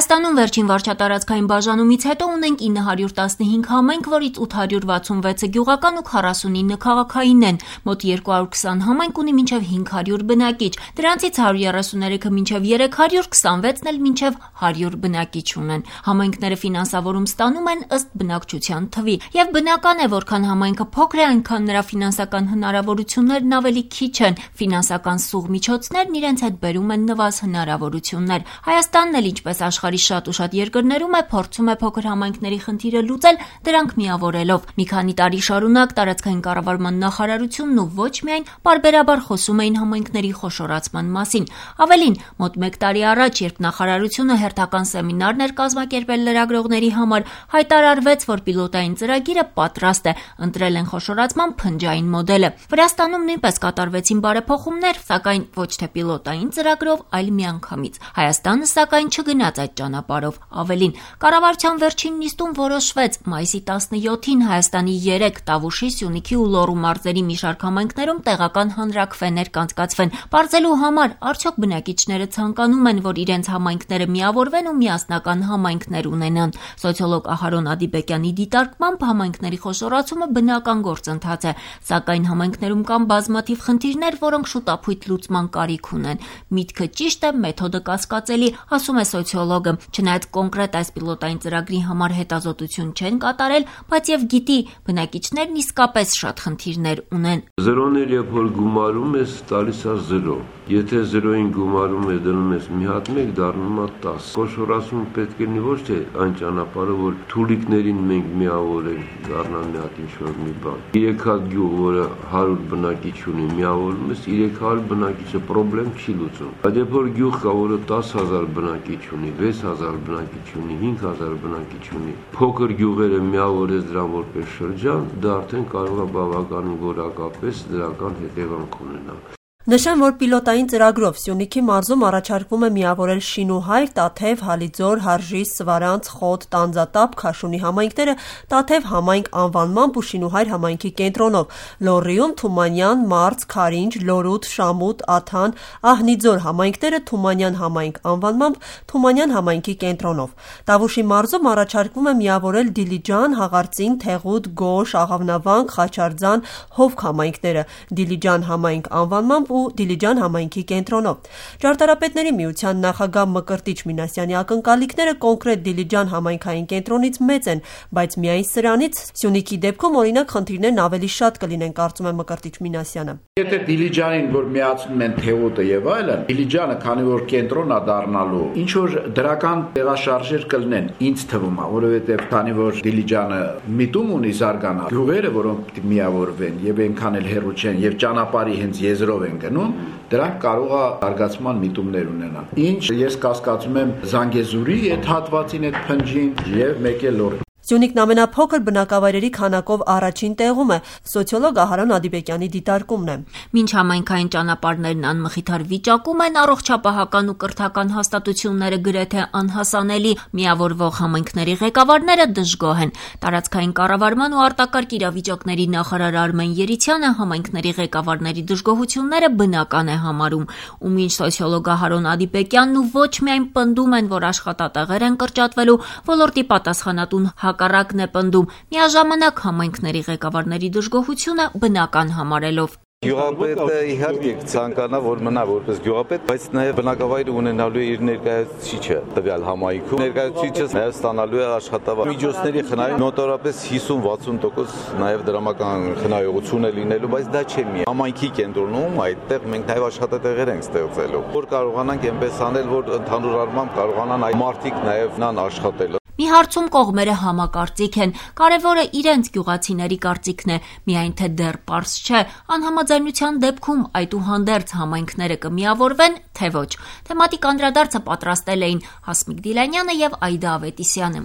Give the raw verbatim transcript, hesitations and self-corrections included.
Հայաստանում վերջին վարչատարածքային բաժանումից հետո ունենք ինը հարյուր տասնհինգ համայնք, որից ութ հարյուր վաթսունվեցը գյուղական ու քառասունինը քաղաքային են։ Մոտ երկու հարյուր քսան համայնք ունի մինչև հինգ հարյուր բնակիչ, դրանցից հարյուր երեսուներեքը մինչև երեք հարյուր, քսանվեցն էլ մինչև հարյուր բնակիչ ունեն։ Համայնքները ֆինանսավորում ստանում են ըստ բնակչության թվի, եւ բնական է, որքան համայնքը փոքր է, այնքան նրա ֆինանսական հնարավորություններն ավելի քիչ են, ֆինանսական սուղ միջոցներն իրենց հետ բերում են նվազ հնարավորություններ։ Հայաստանն էլ ինչպես աշխարհի շատ ու շատ երկրներում է, փորձում է փոքր համայնքների խնդիրը լուծել, դրանք միավորելով։ Մի քանի տարի շարունակ տարածքային կառավարման նախարարությունն ու ոչ միայն պարբերաբար խոսում էին համայնքների խոշորացման մասին։ Ավելին, մոտ մեկ տարի առաջ, երբ նախարարությունը հերթական սեմինարներ կազմակերպել լրագրողների համար, հայտարարվեց, որ պիլոտային ծրագիրը պատրաստ է, ընտրել են խոշորացման փնջային մոդելը։ Վրաստանում նույնպես կատարվեցին բարեփոխումներ, սակայն ոչ թե պիլոտային ծրագրով, այլ միանգամից։ Հայաստանը սակայն չգնաց այդ ճանապարհով։ Ավելին, կառավարության վերջին նիստում որոշվեց մայիսի տասնյոթին Հայաստանի երեք Տավուշի, Սյունիքի ու Լոռու մարզերի մի շարք համայնքներում տեղական հանրաքվեներ կանցկացվեն, պարզելու համար արդյոք բնակիչները ցանկանում են, որ իրենց համայնքները միավորվեն ու միասնական համայնքներ ունենան։ Սոցիոլոգ Ահարոն Ադիբեկյանի դիտարկմամբ համայնքների խոշորացումը բնական գործընթաց է, սակայն համայնքներում կան բազմաթիվ խնդիրներ, որոնք շուտափույթ լուծման կարիք ունեն։ Միտքը ճիշտ է, մեթոդը կասկածելի, ասում է սոցիոլոգը։ Չնայած կոնկրետ այս պիլոտային ծրագրի համար հետազոտություն չեն կատարել, բայց եւ գիտի, բնակիչներն իսկապես շատ խնդիրներ ունեն։ Զրոներ երբ որ գումարում ես, տալիս է զրո։ Եթե զրոին գումարում ես, դնում ես մի հատ մեկ, դառնում է տասը։ Խոշորացումը պետք է լինի ոչ թե այն ճանապարհը, որ թուլիկներին մենք միավորենք, դառնա մի հատ ինչ-որ մի բան։ Երեք հատ գյուղ, որը հարյուր բնակիչ ունի, միավորում ես, երեք հարյուր բնակիչը պրոբլեմ չի լուծում։ Բայց երբ որ գյուղ կա, որը տասը հազար բնակիչ ունի, վեց հազար բնակիչ ունի, հինգ հազար բնակիչ ունի, փոքր գյուղերը միավորես դրան որպես շրջան, դա արդեն կարող է բավականին որակապես դրական հետևանք ունենա։ Նշեմ, որ պիլոտային ծրագրով Սյունիքի մարզում առաջարկվում է միավորել Շինուհայր, Տաթև, Հալիձոր, Հարժի, Սվարանց, Խոտ, Տանձատապ, Քաշունի համայնքները Տաթև համայնք անվանմամբ ու Շինուհայր համայնքի կենտրոնով, Լոռիում Թումանյան, Մարզ, Քարինջ, Լորուտ, Շամուտ, Աթան, Ահնիձոր համայնքները Թումանյան համայնք անվանմամբ Թումանյան համայնքի կենտրոնով։ Տավուշի մարզում առաջարկվում է միավորել Դիլիջան, Հաղարծին, Թեղուտ, Գոշ, Աղավնավանք, Խաչարձան, Հովք համայնքները, Դիլիջան համայնք անվանմամբ ու Դիլիջան համայնքի կենտրոնով։ Ճարտարապետների միության նախագահ Մկրտիչ Մինասյանի ակնկալիքները կոնկրետ Դիլիջան համայնքային կենտրոնից մեծ են, բայց միայն սրանից Սյունիքի դեպքում օրինակ խնդիրներն ավելի շատ կլինեն, կարծում է Մկրտիչ Մինասյանը։ Եթե Դիլիջանին որ միացնում են Թեղուտը եւ այլն, Դիլիջանը քանի որ կենտրոն է դառնալու, ինչ որ դրական տեղաշարժեր կլինեն, ինձ թվում է, որովհետեւ քանի որ Դիլիջանը միտում ունի զարգանալ, գյուղերը, որոնք միավորվեն եւ այնքան էլ հեռու չեն եւ ճանապարհի հենց եզրով են գնում, դրանք կարող է զարգացման միտումներ ունենան։ Ինչ ես կասկածում եմ Զանգեզուրի այդ հատվածին այդ փնջին եւ մեկ էլ Լոռի։ Սյունիքն ամենափոքր բնակավայրերի քանակով առաջին տեղում է, սոցիոլոգ Ահարոն Ադիբեկյանի դիտարկումն է։ Մինչ համայնքային ճանապարհներն անմխիթար վիճակում են, առողջապահական ու կրթական հաստատությունները գրեթե անհասանելի, միավորվող համայնքների ղեկավարները դժգոհ են։ Տարածքային կառավարման ու արտակարգ իրավիճակների նախարար Արմեն Երիցյանը համայնքների ղեկավարների դժգոհությունները բնական է համարում, ու մինչ սոցիոլոգ Ահարոն Ադիբեկյանն ու ոչ միայն պնդում են, որ աշխատատեղեր են կրճատվելու, ոլորտի պատասխանատուն հակառակն է պնդում, միաժամանակ համայնքների ղեկավարների դժգոհությունը բնական համարելով։ Գյուղապետը իհարկե ցանկանա, որ մնա որպես գյուղապետ, բայց նաև բնակավայրը ունենալու է իր ներկայացուցիչը տվյալ համայնքում։ Ներկայացուցիչը նաև ստանալու է աշխատավարձ։ Միջոցների խնայում նոտարապես հիսուն-վաթսուն տոկոս նաև դրամական խնայողություն է լինելու, բայց դա չէ մի։ Համայնքի կենտրոնում այդտեղ մենք նաև աշխատատեղեր ենք ստեղծելու, որ կարողանանք այնպես անել, որ ընդհանուր առմամբ կարողանան այդ մարդիկ նաև նան աշխատել։ Մի հարցում կողմերը համակարծիք են, կարևորը իրենց գյուղացիների կարծիքն է, միայն թե դեռ պարզ չէ, անհամաձայնության դեպքում այդուհանդերձ համայնքները կմիավորվեն, թե ոչ։ Թեմատիկ անդրադարձը պատրաստել էին Հասմիկ Դիլանյանը եւ Այդա Ավետիսյանը։